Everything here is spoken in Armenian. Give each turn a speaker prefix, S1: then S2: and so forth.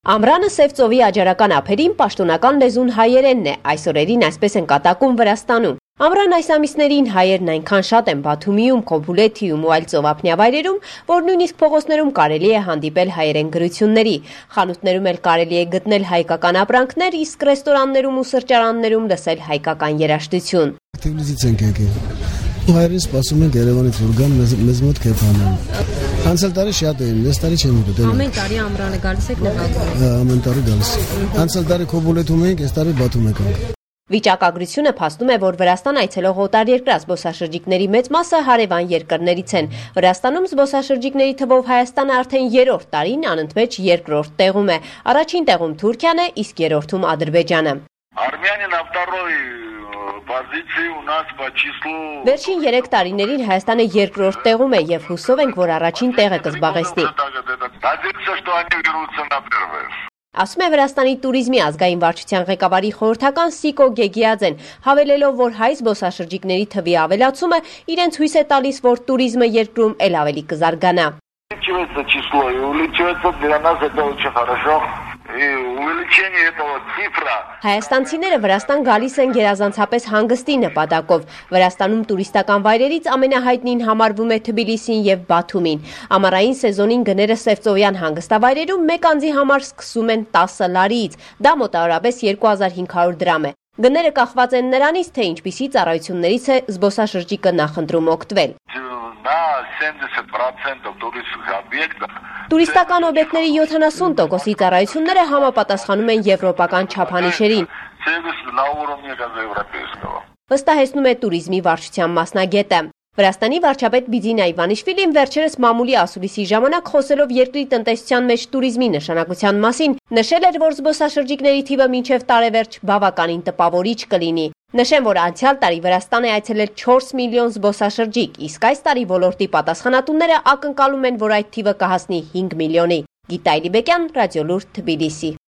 S1: Ամռանը Սև ծովի աջարական ափերին պաշտոնական լեզուն հայերենն է, այս օրերին այսպես են կատակում Վրաստանում։ Ամռան այս ամիսներին հայերն այնքան շատ են Բաթումիում, Քոբուլեթիում ու այլ ծովափնյա վայրերում, որ նույնիսկ փողոցներում կարելի է հանդիպել հայերեն գրությունների։ Խանութներում էլ կարելի է գտնել հայկական ապրանքներ, իսկ ռեստորաններում ու սրճարաններում լսել հայկական երաժշտություն։
S2: Հայերին սպասում ենք Երևանից որ գան մեզ մոտ կեփանան։ Անցյալ տարի շատ էին, այս տարի չեմ գտել։
S1: Ամեն տարի ամռանը գալիս եք նկատում։
S2: Ամեն տարի գալիս։ Անցյալ տարի Քոբուլեթում էինք, այս տարի Բաթում ենք։
S1: Վիճակագրությունը փաստում է, որ Վրաստան այցելող օտարերկրյա զբոսաշրջիկների մեծ մասը հարևան երկրներից են։ Վրաստանում զբոսաշրջիկների թվով Հայաստանը արդեն երրորդ տարին անընդմեջ երկրորդ տեղում է։ Առաջին տեղում Թուրքիան է, իսկ երրորդում Ադրբեջանը։ Վերջին 3 տարիներին Հայաստանը երկրորդ տեղում է եւ հուսով ենք, որ առաջին տեղը կզբաղեցնի։ Ասում է Վրաստանի տուրիզմի ազգային վարչության ղեկավարի խորհրդական Սիկո Գեգիաձեն, հավելելով, որ հայ զբոսաշրջիկների թվի ավելացումը իրենց հույս է տալիս, որ տուրիզմը երկրում էլ ավելի կզարգանա։ Հայաստանցիները Վրաստան գալիս են գերազանցապես հանգստի նպատակով։ Վրաստանում տուրիստական վայրերից ամենահայտնին համարվում է Թբիլիսին եւ Բաթումին։ Ամառային սեզոնին գները Սևծովյան հանգստավայրերում մեկ անձի համար սկսում են 10 լարիից, դա մոտավորապես 2500 դրամ է։ Գները կախված են նրանից, թե ինչպիսի ծառայություններից է զբոսաշրջիկը նախընտրում օգտվել։ Տուրիստական օբյեկտների 70%-ի ծառայությունները համապատասխանում են եվրոպական չափանիշերին, վստահեցնում է տուրիզմի վարչության մասնագետը։ Վրաստանի վարչապետ Բիձինա Իվանիշվիլին վերջերս մամուլի ասուլիսի ժամանակ խոսելով երկրի տնտեսության մեջ տուրիզմի նշանակության մասին, նշել էր, որ զբոսաշրջիկների թիվը մինչև տարեվերջ բավականին տպավորիչ կլինի։ Նշեմ, որ անցյալ տարի Վրաստան է այցելել 4 միլիոն զբոսաշրջիկ, իսկ այս տարի ոլորտի պատասխանատուները ակնկալում են, որ այդ թիվը կհասնի 5 միլիոնի։ Գիտա Իլիբեկյան, Ռադիոլուր, Թբիլիսի։